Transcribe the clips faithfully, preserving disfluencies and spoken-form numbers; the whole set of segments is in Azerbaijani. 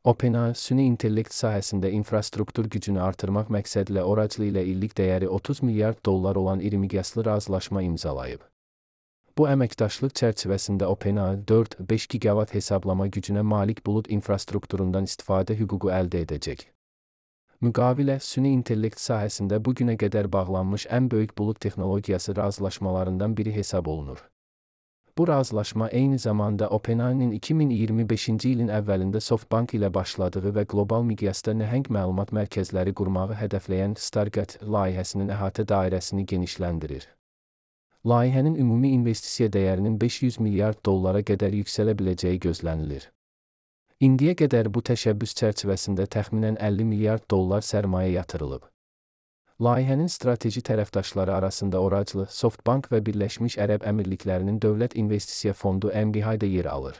OpenAI, süni intellekt sahəsində infrastruktur gücünü artırmaq məqsədilə Oracle ilə illik dəyəri otuz milyard dollar olan iri miqyaslı razılaşma imzalayıb. Bu əməkdaşlıq çərçivəsində OpenAI dörd beş giqavat hesablama gücünə malik bulud infrastrukturundan istifadə hüququ əldə edəcək. Müqavilə, süni intellekt sahəsində bu günə qədər bağlanmış ən böyük bulud texnologiyası razılaşmalarından biri hesab olunur. Bu razılaşma eyni zamanda OpenAI-nin iki min iyirmi beşinci ilin əvvəlində SoftBank ilə başladığı və qlobal miqyasda nəhəng məlumat mərkəzləri qurmağı hədəfləyən Stargate layihəsinin əhatə dairəsini genişləndirir. Layihənin ümumi investisiya dəyərinin beş yüz milyard dollara qədər yüksələ biləcəyi gözlənilir. İndiyə qədər bu təşəbbüs çərçivəsində təxminən əlli milyard dollar sərmayə yatırılıb. Layihənin strateji tərəfdaşları arasında Oracle, SoftBank və Birləşmiş Ərəb Əmirliklərinin Dövlət İnvestisiya Fondu M B I-də yer alır.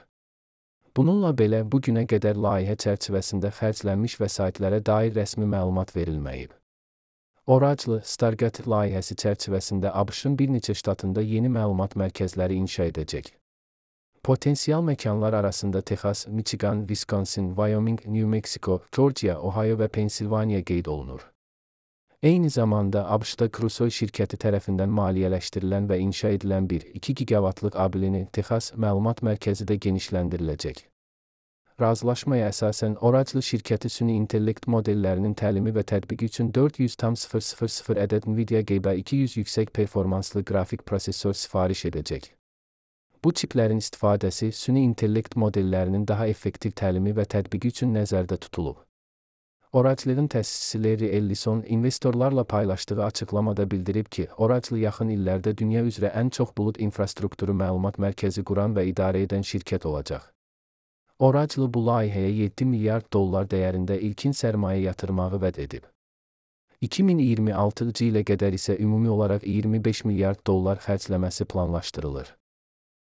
Bununla belə, bu günə qədər layihə çərçivəsində xərclənmiş vəsaitlərə dair rəsmi məlumat verilməyib. Oracle, Stargate layihəsi çərçivəsində ABŞ-ın bir neçə ştatında yeni məlumat mərkəzləri inşa edəcək. Potensial məkanlar arasında Texas, Michigan, Wisconsin, Wyoming, New Mexico, Georgia, Ohio və Pensilvaniya qeyd olunur. Eyni zamanda ABŞ-da Crusoe şirkəti tərəfindən maliyyələşdirilən və inşa edilən bir iki giqavatlıq A B L-ni Texas məlumat mərkəzi də genişləndiriləcək. Razılaşmaya əsasən Oracle şirkəti süni intellekt modellərinin təlimi və tətbiqi üçün dörd yüz min ədəd Nvidia G B iki yüz yüksək performanslı qrafik prosesor sifariş edəcək. Bu çiplərin istifadəsi süni intellekt modellərinin daha effektiv təlimi və tətbiqi üçün nəzərdə tutulub. Oracle'ın təsisçisi Larry Ellison investorlarla paylaşdığı açıqlamada bildirib ki, Oracle yaxın illərdə dünya üzrə ən çox bulud infrastrukturu məlumat mərkəzi quran və idarə edən şirkət olacaq. Oracle bu layihəyə yeddi milyard dollar dəyərində ilkin sərmayə yatırmağı vəd edib. iki min iyirmi altıncı ilə qədər isə ümumi olaraq iyirmi beş milyard dollar xərcləməsi planlaşdırılır.